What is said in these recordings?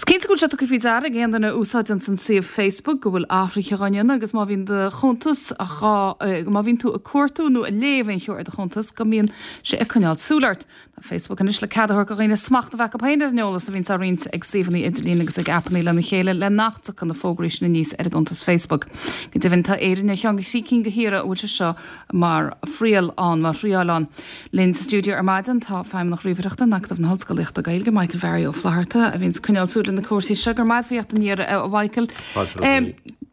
Is cinnte go bhfuil sé tugtha faoi deara ag aon duine a úsáideanns an suíomh Facebook go bhfuil athruithe á ndéanamh agus má bhíonn do chuntas dhá, má bhíonn tú ag cuartú nó ag léamh aon cheo ar do chuntas go mbíonn sé ag coinneáil súil ort. Tá Facebook anois le cead a thabhairt do dhaoine smacht a bheith acu féin ar an eolas a bhíonns á roinnt ag suíomhanna idirlín agus ag aipeanna lena chéile le nach dtiocfaidh na fógraí sin aníos ar a gcuntas Facebook. Go deimhin tá Éirinn ar cheann de thrí cinn de thíortha a bhfuil sé seo mar thriail ann, mar thriáil ann. Linn sa stiúideo ar maidin tá Feidhmeannach Ríomhaireachta in Acadamh na hOllscolaíochta Gaeilge, Michael Bharry Ó Flatharta, a bhíonns ag coinneáil súil ar na cúrsaí seo. Go raibh maith agat a theacht aniar, a Mhichael.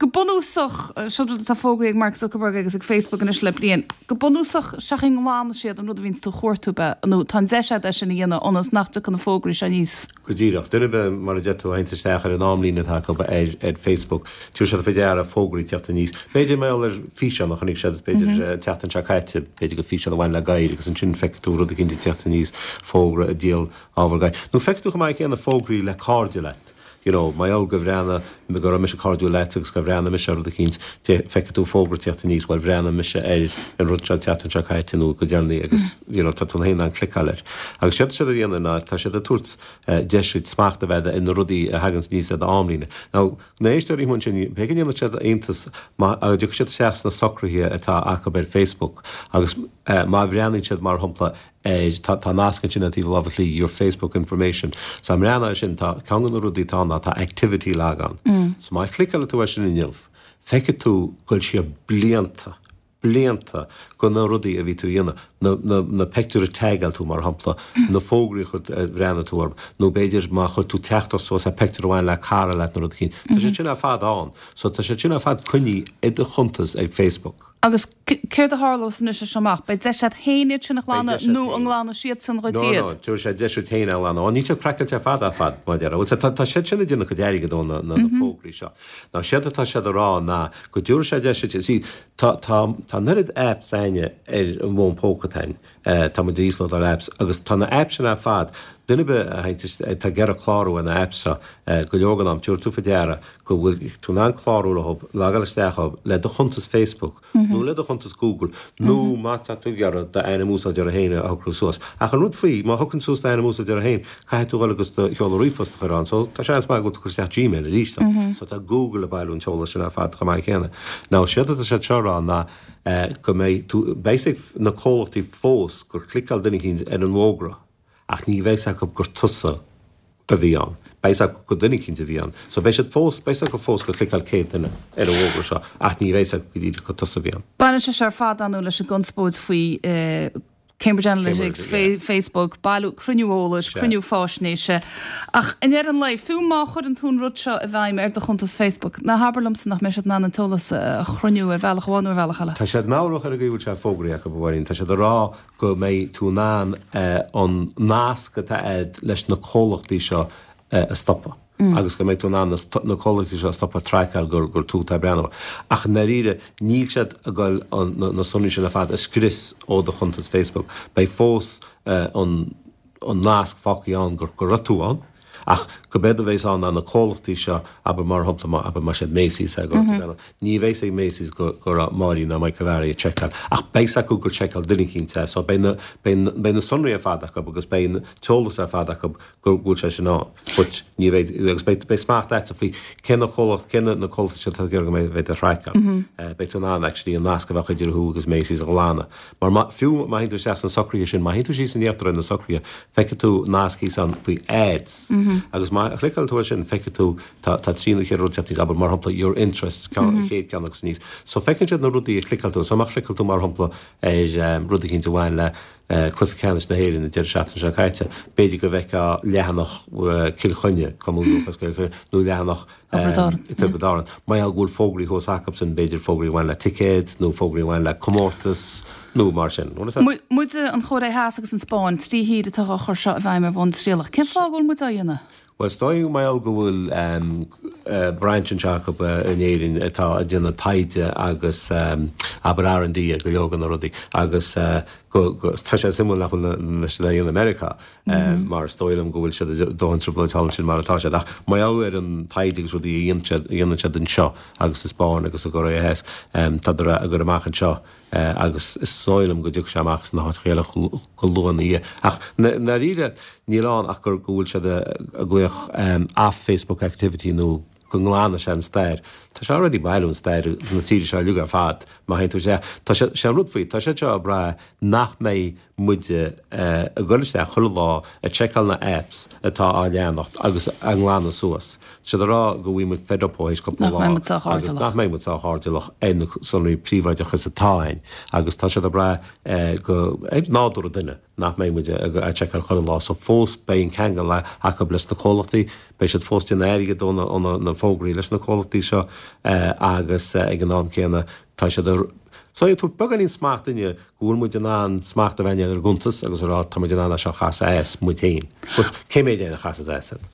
Go bunúsach, seo rud atá fógraithe ag Mark Zuckerberg agus ag Facebook anois le bliain, go bunúsach, seachain go nglanfaidh siad an rud a bhíonns tú a chuartú, nó tá an deis agat é sin a dhéanamh ionas nach dtiocfaidh na fógraí seo aníos. Go díreach. Duine ar bith, mar a deir tú, a théanns isteach ar an amlíne atá acu ar Facebook, tabharfaidh siad faoi deara fógraí ag teacht aníos. B'fhéidir mar gheall ar físeán a chonaic siad, b'fhéidir an tseachtain seo caite, b'fhéidir gur físeán a bhain le gadhair agus ansin feicfidh tú rud eicínt ag teacht aníos, fógra ag díol ábhar gadhair. Nó feicfidh tú chomh maith céanna fógraí le cairde leat. You know, mar gheall go bhreathnaigh, go raibh mise cairdiúil leat agus gur bhreathnaigh mise ar rud eicínt, feicfidh tú fógra ag teacht aníos, bhuel bhreathnaigh mise ar an rud seo an tseachtain seo caite nó go deireanaí agus you know tá tú féin in ann cliceáil air. Agus séard atá siad a dhéanamh ná tá siad ag tabhairt deis duit smacht a bheith agat ar na rudaí a thaganns aníos ar d'amlíne. Now, na éisteoirí amuigh ansin, b'fhéidir go ndéanfaidh siad iontas má dtiocfaidh siad isteach sna socruithe atá acu ar Facebook agus má bhreathnaíonn siad mar shampla ar, tá, tá nasc ansin ar taobh na láimhe clí, your Facebook information. So má bhreathnaíonn air sin, tá, ceann de na rudaí atá ann ná tá activity log ann. So má chliceálann tú air sin inniu, feicfidh tú dul siar blianta, blianta go na rudaí a bhí tú a dhéanamh, na, na, na peictiúir a tagáil tú mar shampla, na fógraí a chuir, a bhreathnaigh tú orthu, nó b'fhéidir má chuir tú teachtaireacht suas ar peictiúr a bhain le cara leat nó rud eicínt. Tá siad sin ar fad ann. So tá siad sin ar fad coinnithe i do chuntas ar Facebook. Agus céard a tharlós anois as seo amach? Beidh deis agat féin iad sin a ghlanadh nó an nglanfaidh siadsan dhuit iad? No, no, tabharfaidh sé deis duit féin é a ghlanadh. Ó, níl siad craiceáilte ar fad ar fad, mar a déarfá. Bhuel, tá, tá siad sin ag déanamh cuid airgid ó na, na, na fógraí seo. Now, séard atá siad a rá ná go dtabharfaidh sé deis duit, see, tá, tá, tá an oiread apps a'inne ar an bhfón póca atá a'inn, tá muid ag íoslódáil apps agus tá na apps sin ar fad, duine ar bith a théann, atá ag iarraidh clárú ar na apps seo, go leor den am, tabharfaidh tú faoi deara go bhfuil tú in ann clárú leo, logáil isteach leo le do chuntas Facebook nó le do chuntas Google nó má tá tú ag iarraidh d'ainm úsáideora féin a shocrú suas. Ach an rud faoi, má shocraíonn tú suas d'ainm úsáideora féin, caithfidh tú dhul agus do sheoladh ríomhphost a chur ann. So tá seans maith go bhfuil tú ag cur isteach Gmail arís ann. So tá Google ag bailiú an t-eolas sin ar fad chomh maith céanna. Now séard atá siad seo a rá ná go mbeidh tú, beidh a fhios ag na comhlachtaí fós gur chliceáil duine eicínt ar an bhfógra. Ach ní bheidh 's acu gur tusa a bhí ann. Beidh 's acu gur duine eicínt a bhí ann. So beidh siad fós, beidh 's acu fós gur chliceáil 100 duine ar an bhfógra seo ach ní bheidh 's acu go díreach gur tusa a bhí ann. Baineann sé seo ar fad, ar ndóigh, leis an gconspóid faoi Cambridge Analytics, Facebook, bailiú, cruinniú eolais, cruinniú faisnéise. Ach i ndeireadh an lae, fiú má chuireann tú an rud seo i bhfeidhm ar do chuntas Facebook, ná habair liomsa nach mbeidh siad in ann an t-eolas a chruinniú ar bhealach amháin nó ar bhealach eile. Tá siad meabhrach ar an gcaoi a bhfuil sé fógraithe acu, a Mháirín. Tá siad ag rá go mbeidh tú in ann an nasc atá agat leis na comhlachtaí seo a stopadh agus go mbeidh tú in ann na comhlachtaí seo a stopadh ag traiceáil gur tú atá ag breathnú. Ach i ndáiríre, níl siad ag goil na sonraí sin ar fad a scrios ó do chuntas Facebook. Beidh fós an nasc fágtha ann gur raibh tú ann. Ach gurb éard a bheas ann ná na comhlachtaí seo, abair mar shampla, má, abair más iad Macy's a go raibh, ní bheidh 's ag Macy's go, go raibh Máirín ná Michael Bharry ag seiceáil, ach beidh 's acu gur sheiceáil duine eicínt é, so beidh na, beidh, beidh na sonraí ar fad acu agus beidh an t-eolas ar fad acu go bhfuil sé sin ann. But ní bheidh, agus beidh, beidh smacht agatsa faoi cé na comhlacht, cé na, na comhlachtaí seo atá ag iarraidh go mbeidh, bheidh á thraiceáil. Beidh tú in ann actually an nasc a bheadh idir thú agus Macy's a ghlanadh. Mar má, fiú má théann tú isteach sna socruithe sin, má théann tú síos in íochtar ar na socruithe, feicfidh tú nasc thíos ann faoi ads. Agus má chliceálann tú air sin, feicfidh tú, tá, tá trí nó cheithre rud teacht aníos, abair, mar shampla, your interests, ceann, an chéad ceann agus aníos. So feiceann siad na rudaí a chliceáil tú. So má chliceáil tú, mar shampla, ar rud eicínt a bhain le Cluiche Ceannais na hÉireann an deireadh seachtaine seo caite, b'fhéidir go bhfeicfeá leathanach Cill Chainnigh, Cumann Lúthchleas Gael Chill Chainnigh, nó leathanach Tiobraid Árann. Mar gheall go bhfuil fógraí thuas acusan, b'fhéidir fógraí a bhain le ticéad nó fógraí a bhain le comórtas nó mar sin. Muide, an Chóiré Theas agus an Spáinn, 3 thír atá á chur seo i bhfeidhm ar bhonn trialach. Cén fáth go bhfuil muid á dhéanamh? Bhuel, is dóigh mar gheall go bhfuil branch anseo acu in Éirinn atá ag déanamh taighde agus abair R&D ar go leor de na rudaí agus. Go, go, tá sé suimiúil nach bhfuil na, siad á dhéanamh i Meiriceá, mar is dóigh liom go bhfuil siad i dóthain trioblóid thall ansin mar atá siad. Ach mar gheall ar an taighde agus rudaí a dhéanann siad, a dhéanann siad anseo agus sa Spáinn agus i gCóiré Theas, tádar á gcur amach anseo agus is dóigh liom go dtiocfaidh sé amach sna háiteacha eile go luath ina dhiaidh. Ach i ndáiríre níl ann ach gur, go bhfuil siad ag glaoch off Facebook activity nó go nglanfaidh sé an stair. Tá sé already ag bailiú an stair na tíre seo uilig ar fad, má théann tú isteach. Tá sé, sé an rud faoi, tá siad seo ag brath nach mbeidh muide ag dul isteach chuile lá ag seiceáil na apps atá á leanacht agus á nglanadh suas. Tá siad ag rá go bhfaighidh muid fed up ó théis cúpla lá agus nach mbeidh muid sách airdeallach ar na sonraí príobháideacha atá againn agus tá siad ag brath go, ar nádúr an duine. nach mbeidh muid ag seiceáil chuile lá so fós beidh an ceangal acu leis na comhlachtaí, beidh siad fós ag déanamh airgid ó na fógraí leis na comhlachtaí seo agus ag an am céanna tá siad ag so ag tabhairt beagáinín smacht dúinne go bhfuil muid in ann smacht a bheith ar ár gcuntas agus a rá tá muid in ann é seo a chasadh as muid féin. But cé mhéad éinne a chasas as iad?